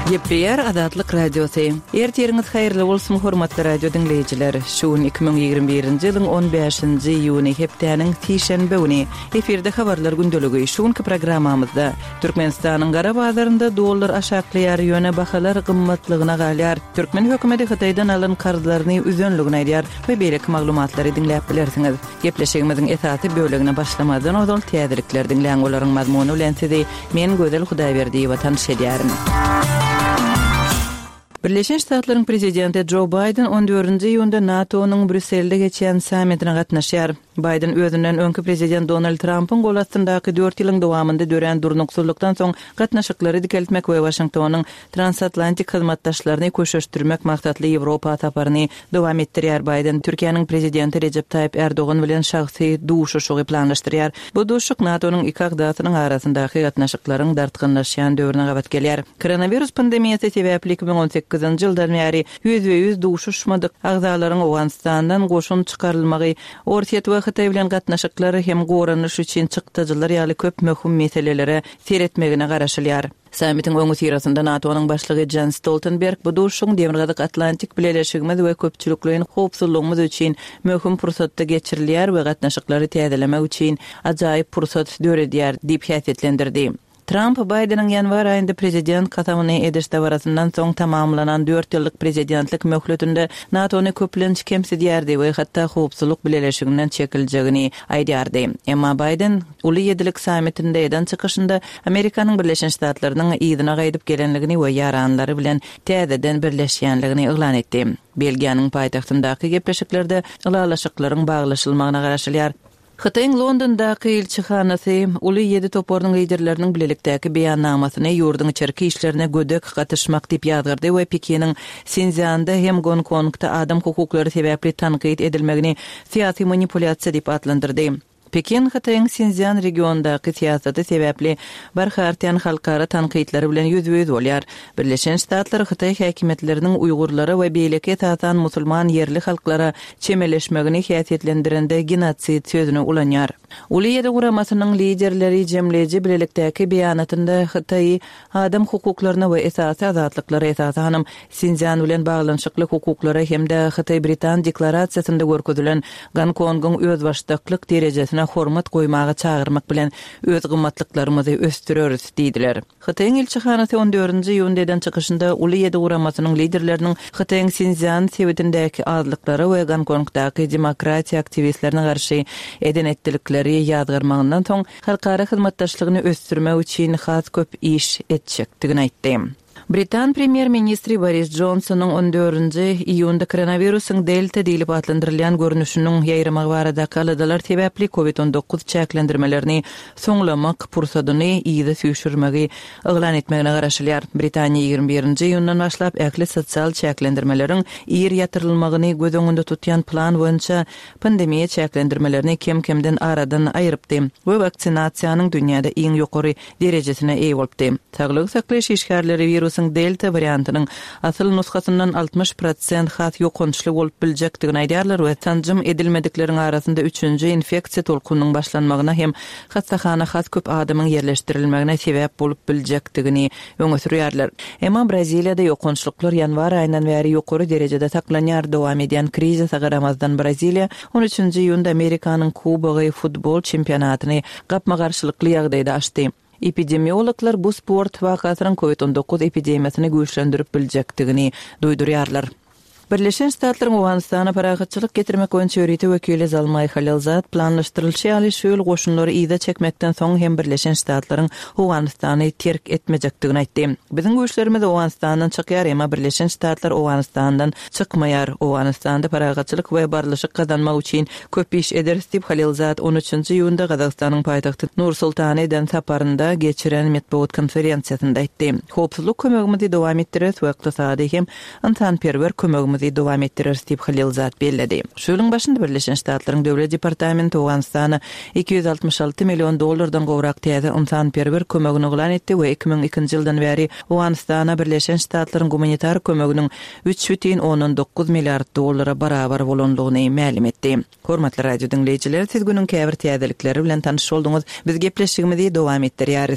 Gepleýär Azatlyk Radiosy. Ertiriňiz haýyrly bolsun, hormatly radio diňleýjiler. Şu gün 2021-nji ýylyň 15-nji iýuny, hepdäniň sişenbe güni. Efirde habarlar gündeligi. Şu günki programmamyzda Türkmenistanyň gara bazarynda dollar aşaklaýar, ýöne bahalar gymmatlygyna galýar. Türkmen hökümeti Hytaýdan alan karzlaryny üzenligini aýdýar we beýleki maglumatlary diňläp bilersiňiz. Gepleşigimiziň esasy bölegine başlamazdan ozal täzelikleri diňläň, olaryň mazmuny bilen sizi men Gözel Hudaýberdiýewa tanyş edýärin. Birleşen Ştatlaryň prezidenti Jo Baýden on dördünji iýunda NATO-nyň Brýusselde geçýän sammitine gatnaşýar. Baýden özünden öňki prezident Donald Trampyň gol astyndaky dört ýylyň dowamynda dörän durnuksyzlykdan soň gatnaşyklary dikeltmek we Waşingtonyň transatlantik hyzmatdaşlaryny köşeşdirmek maksatly Ýewropa saparyny dowam etdirýär. Baýden Türkiýäniň prezidenti Rejep Taýyp Ärdogan bilen şahsy duşuşygy planlaşdyrýar. Bu duşuşyk NATO-nyň iki agzasynyň arasyndaky gatnaşyklaryň dartgynlaşýan döwrüne gabat gelýär. Koronawirus pandemiýasy sebäpli 2018-nji ýyldan bäri ýüzbe-ýüz duşuşmadyk agzalaryň Owganystandan goşun çykarylmagy, Orsýet we Hytaý bilen gatnaşyklar hem goranyş üçin çykdajylar ýaly köp möhüm meselelere seretmegine garaşylýar. Sammitiň öňüsyrasynda NATO-nyň başlygy Jens Stoltenberg bu duşuşygyň Demirgazyk Atlantik bileleşigimiz we köpçülikleýin howpsuzlygymyz üçin möhüm pursatda geçirilýär we gatnaşyklary täzelemek üçin ajaýyp pursat döredýär diýip häsiýetlendirdi. Tramp Baýdeniň ýanwar aýynda prezident kasamyny ediş dabarasyndan soň tamamlanan dört ýyllyk prezidentlik möhletinde NATO-ny köplenç kemsidýärdi we hatda howpsuzlyk bileleşiginden çekiljegini aýdýardy. Emma Baýden Uly ýedilik sammitinde eden çykyşynda Amerikanyň Birleşen Ştatlarynyň yzyna gaýdyp gelenligini we ýaranlary bilen täzeden birleşýänligini yglan etdi. Belgiýanyň paýtagtyndaky gepleşiklerde ylalaşyklaryň baglaşylmagyna garaşylýar. Hytaýyň Londondaky ilçihanasy Uly ýedi toparynyň liderleriniň bilelikdäki beýannamasyny ýurduň içerki işlerine gödek gatyşmak diýip ýazgardy we Pekiniň Sinszýanda hem Gonkongda adam hukuklary sebäpli tankyt edilmegini syýasy manipulýasiýa diýip atlandyrdy. Pekin Hytaýyň Sinszýan regionyndaky syýasaty sebäpli barha artýan halkara tankytlary bilen ýüzbe-ýüz bolýar. Birleşen Ştatlar hytaý häkimiýetleriniň uýgurlara we beýleki esasan musulman ýerli halklara çemeleşmegini häsiýetlendirende genosid sözüni ulanýar. Uly ýedi guramasynyň liderleri jemleýji bilelikdäki beýanatynda Hytaýy adam hukuklaryna we esasy azatlyklara, esasanam Sinszýan bilen baglanyşykly hukuklara hem-de Hytaý-Britan deklarasiýasynda görkezilen Gonkongyň özbaşdaklyk derejesine hormat goýmaga çagyrmak bilen öz gymmatlyklarymyzy ösdüreris diýdiler. Hytaýyň ilçihanasy on dördünji iýunda eden çykyşynda Uly ýedi guramasynyň liderleriniň Hytaýyň Sinszýan sebitindäki azlyklara we Gonkongdaky demokratiýa aktiwistlerine garşy eden-etdilikleri ýazgarmagyndan soň halkara hyzmatdaşlygyny ösdürmek üçin has köp iş etjekdigini aýtdy. Britan premýer-ministri Boris Jonsonyň on dördünji iýunda koronawirusyň Delta diýlip atlandyrylýan görnüşiniň ýaýramagy baradaky aladalar sebäpli Covid 19 çäklendirmelerini soňlamak pursadyny yza süýşürmegi yglan etmegine garaşylýar. Britaniýa 21-nji iýundan başlap ähli sosial çäklendirmeleriň ir ýatyrylmagyny göz öňünde tutýan plan boýunça pandemiýa çäklendirmelerini kem-kemden aradan aýrypdy we waksinasiýanyň dünýäde iň ýokary derejesine eýe bolupdy. Saglygy saklaýyş işgärleri wirusyň delta wariantynyň asyl nusgasyndan 60 prosent has ýokançly bolup biljekdigini aýdýarlar we sanjym edilmedikleriň arasynda üçünji infeksiýa tolkunynyň başlanmagyna hem hassahana has köp adamyň ýerleşdirilmegine sebäp bolup biljekdigini öňe sürýärler. Emma Braziliýada ýokançlyklar ýanwar aýyndan bäri ýokary derejede saklanýar. Dowam edýän krizise garamazdan Braziliýa on üçünji iýunda Amerikanyň Kubogy futbol çempionatyny gapma-garşylykly ýagdaýda açdy. Epidemiologlar bu sport wakasynyň Covid 19 epidemiýasyny güýçlendirip biljekdigini duýdurýarlar. Birleşen Ştatlaryň Owganystana parahatçylyk getirmek boýunça ýörite wekili Zalmaý Halilzad planlaşdyrylyşy ýaly şu ýyl goşunlary yza çekmekden soň hem Birleşen Ştatlaryň Owganystany terk etmejekdigini aýtdy. Biziň güýçlerimiz Owganystandan çykýar, emma Birleşen Ştatlar Owganystandan çykmaýar. Owganystanda parahatçylyk we barlyşyk gazanmak üçin köp iş ederis diýip, Halilzad on üçünji iýunda Gazagystanyň paýtagty Nur-Sultana eden saparynda geçiren metbugat konferensiýasynda aýtdy. Howpsuzlyk kömegimizi dowam etdireris we ykdysady hem ynsanperwer kömegimizi dowam etdireris diýip, Halilzad belledi. Şu ýylyň başynda Birleşen Ştatlaryň Döwlet departamenti Owganystana 266 million dollardan gowrak täze ynsanperwer kömegini yglan etdi we 2002-nji ýyldan bäri Owganystana Birleşen Ştatlaryň gumanitar kömeginiň 3,9 milliard dollara barabar bolandygyny mälim etdi. Hormatly radio diňleýjiler, siz günüň käbir täzelikleri bilen tanyş bolduňyz. Biz gepleşigimizi dowam etdirýäris.